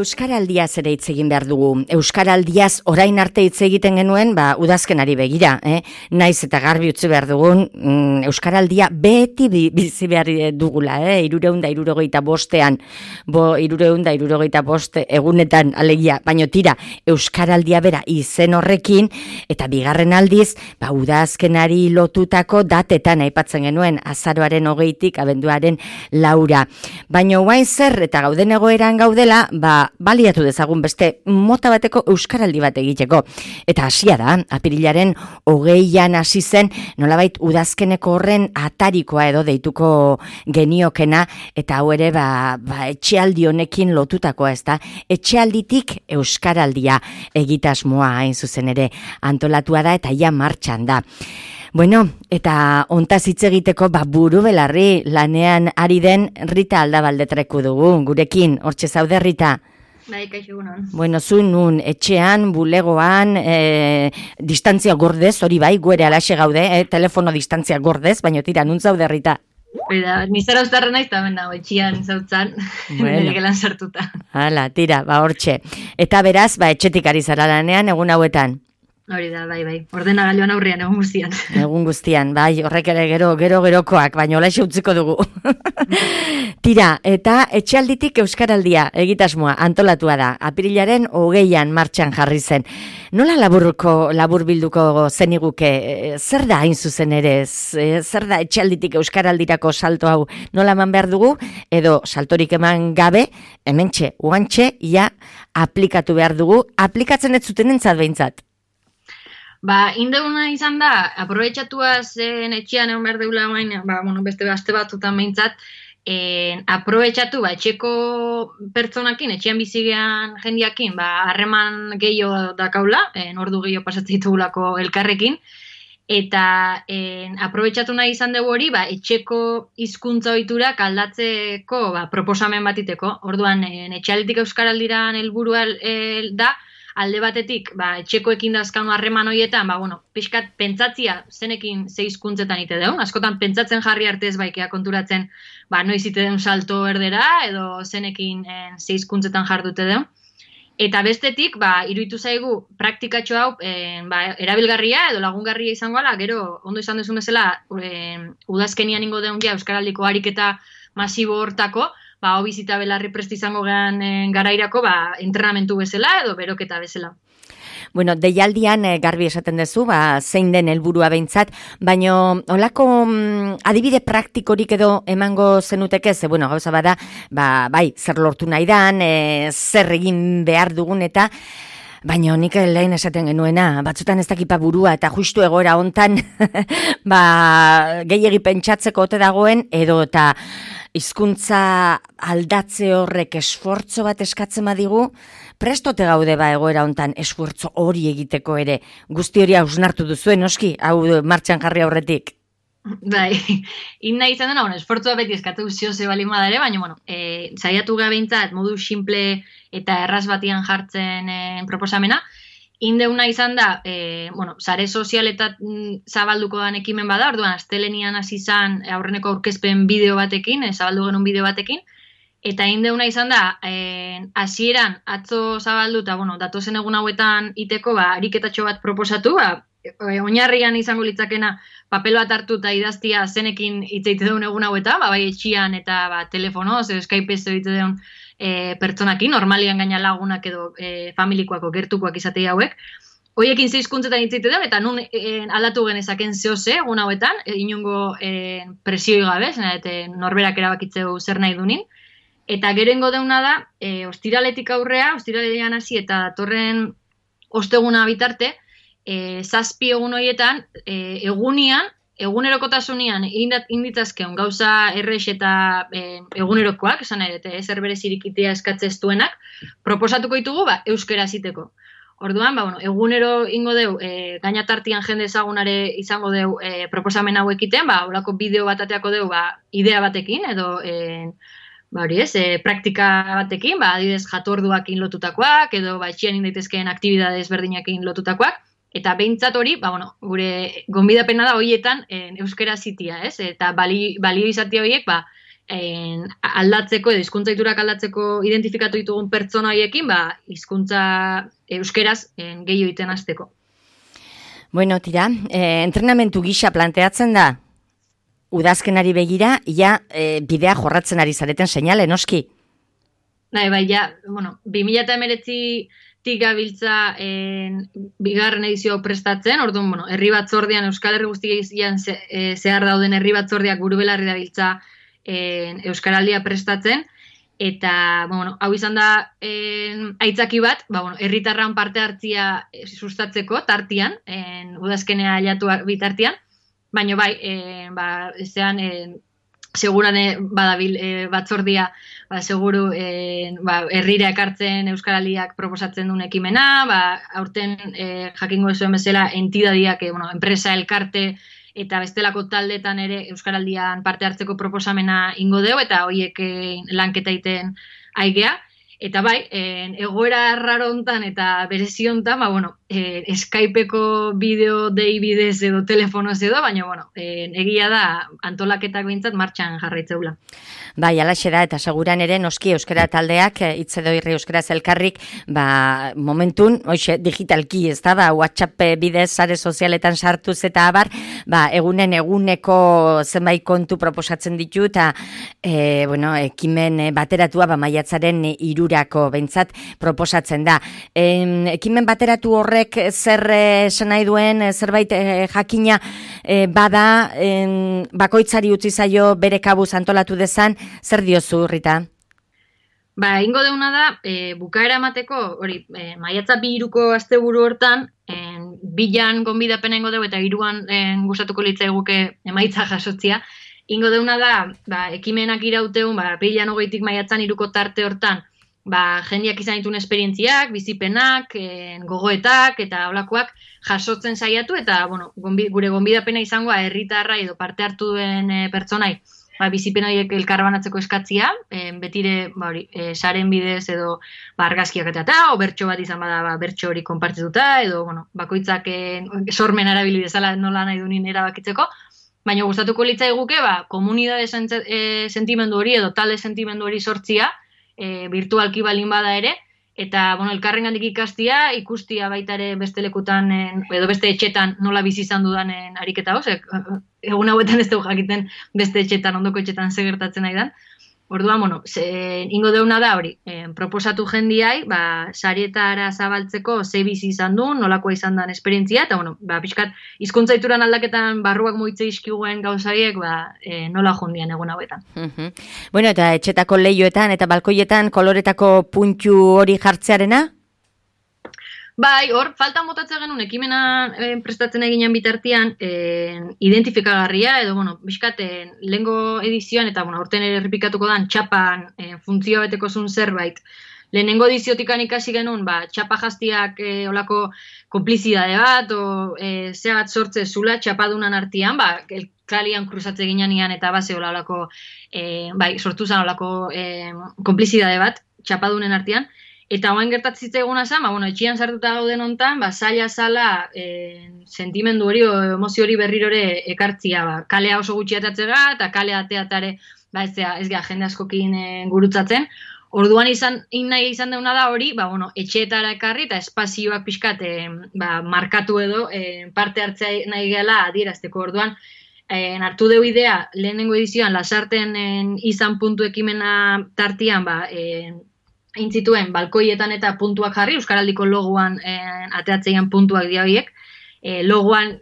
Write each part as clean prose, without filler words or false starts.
Euskaraldiaz ere hitz egin behar dugu. Euskaraldiaz orain arte hitz egiten genuen, udazkenari begira, naiz eta garbi utzi behar dugun, Euskaraldia beti bizi behar dugula, 365 egunetan alegia, baino tira, Euskaraldia bera izen horrekin, eta bigarren aldiz, udazkenari lotutako datetan aipatzen genuen, azaroaren 20tik abenduaren 4. Baino guain zer, eta gauden egoeran gaudela, baliatu dezagun beste mota bateko euskaraldi bat egiteko. Eta hasia da, apirilaren 20an hasi zen, nolabait udazkeneko horren atarikoa edo deituko geniokena, eta hau ere etxealdi honekin lotutakoa, ez da? Etxealditik euskaraldia egitasmoa hain zuzen ere antolatua da eta ja martxan da. Bueno, eta hontaz hitz egiteko buru belarri lanean ari den Rita Aldabaldetreku dugu, gurekin, hortxe zaude Rita? Bai, kaixo egunon. Bueno, zu nun, etxean, bulegoan, distantzia gordez, hori bai, guere alaxe gaude, telefono distantzia gordez, baina tira, nun zaude Rita? Oida, nizara uztarra naiz, eta etxean zautzan, nire gelan sartuta. Hala, tira, hortxe. Eta beraz, etxetik ari zara lanean, egun hauetan? Hori da, bai. Ordenagailuan aurrean, egun guztian. Egun guztian, bai, horrek ere gerokoak, baina olaxe utziko dugu. Tira, eta etxealditik euskaraldia egitasmoa antolatua da. Apirilaren 20an martxan jarri zen. Nola labur bilduko zeniguke? Zer da hain zuzen ere? Zer da etxealditik euskaraldirako salto hau? Nola eman behar dugu? Edo saltorik eman gabe, hementxe, uantxe, aplikatu behar dugu. Aplikatzen ez zuten entzat behintzat? Indeuna izan da, aprobetxatua zen etxean egon behar deula beste aste batzutan behintzat, aprobetxatu, etxeko pertsonakin, etxean bizigean jendiakin, harreman gehiago dakaula, ordu gehiago pasatzen ditugulako elkarrekin, eta aprobetxatu nahi izan dugu hori, etxeko hizkuntza ohiturak aldatzeko proposamen bat iteko. Orduan, etxealditik euskaraldiran helburua da, alde batetik, etxekoekin dazkanu harreman horietan, pixkat pentsatzia zenekin ze hizkuntzetan ite deun, askotan pentsatzen jarri artez baikea konturatzen, noiz ite deun salto erdera, edo zenekin ze hizkuntzetan jardute deun. Eta bestetik, iruditu zaigu praktikatxo hau erabilgarria edo lagungarria izango ala, gero ondo izan duzun bezala, udazkenian ingo deun euskaraldiko ariketa masibo hortako, bizita belarri prest izango gehan garairako, entrenamentu bezala edo beroketa bezala. Bueno, deialdian garbi esaten duzu, zein den helburua behintzat, baino holako adibide praktikorik edo emango zenuteke, gauza bada, zer lortu nahi dan, zer egin behar dugun eta, baina nik lehen esaten genuena, batzutan ez dakipa burua eta justu egoera hontan gehiegi pentsatzeko ote dagoen, edo eta hizkuntza aldatze horrek esfortzo bat eskatzen badigu, prestote gaude egoera hontan esfortzo hori egiteko ere. Guzti hori hausnartu duzuen, noski, hau martxan jarri aurretik. Bai, nahi izan dena, esfortzua beti eskatu zioze bali madare, baina, saiatu behintzat modu simple eta erraz batian jartzen proposamena. Indeuna izan da, sare sozialetat zabalduko dan ekimen bada, orduan astelenian hasi izan aurreneko aurkezpen bideo batekin, zabaldu genuen bideo batekin, eta indeuna izan da, hasieran atzo zabaldu eta, datozen egun hauetan iteko, ariketatxo bat proposatu, oinarrian izango litzakena papel bat hartu eta idaztia zenekin hitzeite duen egun hauetan, bai etxian eta telefonoz, Skype-ez egite duen pertsonakin, normalian gaina lagunak edo familikoako gertukoak izatei hauek. Hoiekin ze hizkuntzetan hitzeite duen, eta nun aldatu genezaken zehoze egun hauetan, inongo presioi gabe, norberak erabakitzeu zer nahi dunin. Eta gerengo deuna da, ostiraletik aurrea, ostiralean hasi eta datorren osteguna bitarte, 7 egun horietan, egunerokotasunean inditzazkeun gauza errex eta egunerokoak, esan nahi, ezer berezirik itea eskatzez duenak, proposatuko ditugu euskera ziteko. Orduan, egunero ingo deu, gainatartian jende ezagunare izango deu proposamen hau ekiten, horako bideo bat ateako deu idea batekin, edo praktika batekin, adibidez jatorduakin lotutakoak, edo etxean indaitezkeen aktibidades berdinakin lotutakoak, eta behintzat hori, gure gonbidapena da horietan euskera zitia, ez? Eta balio izatia horiek, aldatzeko edo hizkuntza-ohiturak aldatzeko identifikatu ditugun pertsona horiekin, hizkuntza euskeraz gehiago egiten hasteko. Bueno, tira, entrenamentu gisa planteatzen da udazkenari begira, bidea jorratzen ari zareten seinale, noski? Bai, ja, 2019 gabiltza bigarren edizio prestatzen, orduan, herri batzordean, Euskal Herri guztian zehar dauden herri batzordeak burubelarri dabiltza Euskaraldia prestatzen, eta, hau izan da aitzaki bat, herritarran parte hartzia sustatzeko tartian, udazkenea aiatuak bitartian, baina bai, seguran badabil batzordia, seguru herrira ekartzen Euskaraldiak proposatzen duen ekimena, aurten jakingo zuen bezala entidadiak, enpresa, elkarte eta bestelako taldetan ere Euskaraldian parte hartzeko proposamena ingo deu, eta horiek lanketa egiten aigea. Eta bai, egoera raro hontan eta berezi hontan, Skypeko bideo dei bidez edo telefonoz edo, baina, egia da antolaketak behintzat martxan jarraitzeula. Bai, alaxe da, eta seguran ere noski euskara taldeak, hitzedo irri euskaraz elkarrik, momentun, digitalki, ez da, WhatsApp bidez, sare sozialetan sartuz eta abar, eguneko zenbait kontu proposatzen ditu, eta, ekimen bateratua, maiatzaren 3 behintzat proposatzen da. Ekimen bateratu horrek zer esan nahi duen, zerbait jakina bada, bakoitzari utzi zaio bere kabuz antolatu dezan, zer diozu, Rita? Ingo deuna da, bukaera emateko, maiatza 2 asteburu hortan, 2 gonbidapena ingo dugu eta 3 gustatuko litzaiguke emaitza jasotzia. Ingo deuna da, ekimenak irauteun, 2020 maiatzan 3 tarte hortan, jendeak izan dituen esperientziak, bizipenak, gogoetak eta holakoak jasotzen saiatu, eta gure gonbidapena izangoa herritarra edo parte hartu duen pertsonai bizipen horiek elkarbanatzeko eskatzia, betire saren bidez edo argazkiak eta bertso bat izan bada bertso hori konpartituta, edo bakoitzak sormen erabili dezala nola nahi dunin erabakitzeko, baina gustatuko litzaiguke komunidade sentimendu hori edo talde sentimendu hori sortzia, virtualki balin bada ere, eta elkarrengandik ikastia, ikustia baita ere beste lekutan edo beste etxetan nola bizi izan dudanen ariketa hoz, egun hauetan ez dugu jakiten beste etxetan, ondoko etxetan ze gertatzen nahi dan. Orduan, ingo deuna da hori, proposatu jendiai, sarietara zabaltzeko ze bizi izan duen, nolakoa izan den esperientzia, eta, pixkat, hizkuntza ohituran aldaketan barruak muitze izkiguen gauzaiek, nola jondian egun hauetan. Bueno, eta etxetako lehioetan eta balkoietan koloretako puntu hori jartzearena? Bai, hor, faltan botatzen genuen ekimena prestatzen eginen bitartian identifikagarria, edo, bizkat, lehengo edizioan, eta, horten ere errepikatuko dan, txapan funtzioa beteko zuen zerbait. Lehenengo ediziotikan ikasi genuen, txapa jaztiak olako konplizidade bat, o zeagat sortze zula txapadunan artian, elkalian kruzatze ginean eta base olako, sortu zen olako konplizidade bat, txapadunen artian. Eta oain gertatzitza eguna zen, etxian sartuta gauden hontan, zaila zala sentimendu hori o emozio hori berrirore ekartzia. Kalea oso gutxi atatzega eta kalea ateatare ez gara jende askokin gurutzatzen. Orduan nahi izan deuna da hori, etxeetara ekarri eta espazioak pixkat markatu edo parte hartzea nahi gela adierazteko. Orduan, hartu deu idea, lehenengo edizioan, lasarten izan puntu ekimena tartian, intzituen balkoietan eta puntuak jarri, Euskaraldiko logoan ateatzeian puntuak dia horiek. Logoan,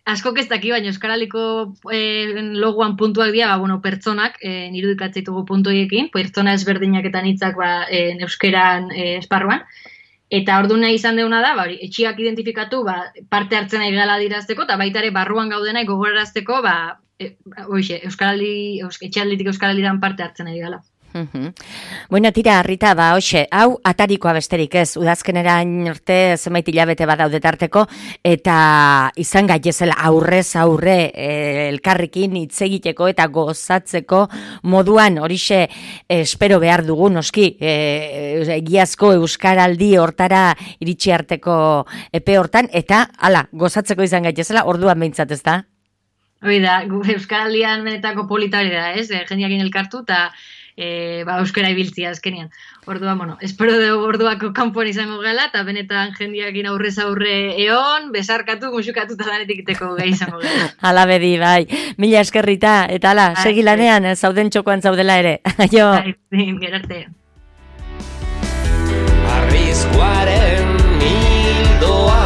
askok ez daki, baina Euskaraldiko logoan puntuak dia, pertsonak, irudikatzeitugu puntu horiekin, pertsona ezberdinak eta nitzak euskeran esparruan. Eta ordu nahi izan deuna da, etxiak identifikatu, parte hartzen nahi gala dirazteko, eta baita ere barruan gaudenai gogorarazteko, etxealditik Euskaraldiran parte hartzen nahi gala. Bueno, tira, Rita, hau atarikoa besterik ez, udazkenerain urte zenbait hilabete badaude tarteko, eta izan gaitezela aurrez aurre elkarrekin hitz egiteko eta gozatzeko moduan horixe espero behar dugu, noski, egiazko Euskaraldi hortara iritsi arteko epe hortan, eta gozatzeko izan gaitezela, orduan behintzat ez da? Hoi da, Euskaraldian benetako polita hori da, ez? Jendeakin elkartu eta euskara ibiltzia azkenean. Orduan, espero dugu orduako kanpoan izango gala, eta benetan jendeakin aurrez aurre eon, besarkatu, musukatu eta danetik iteko gai izango gala. Hala bedi, bai. Mila eskerrita, eta hala, segi lanean, zauden txokoan zaudela ere. Jo. Gerarte. Arriskuaren hildoa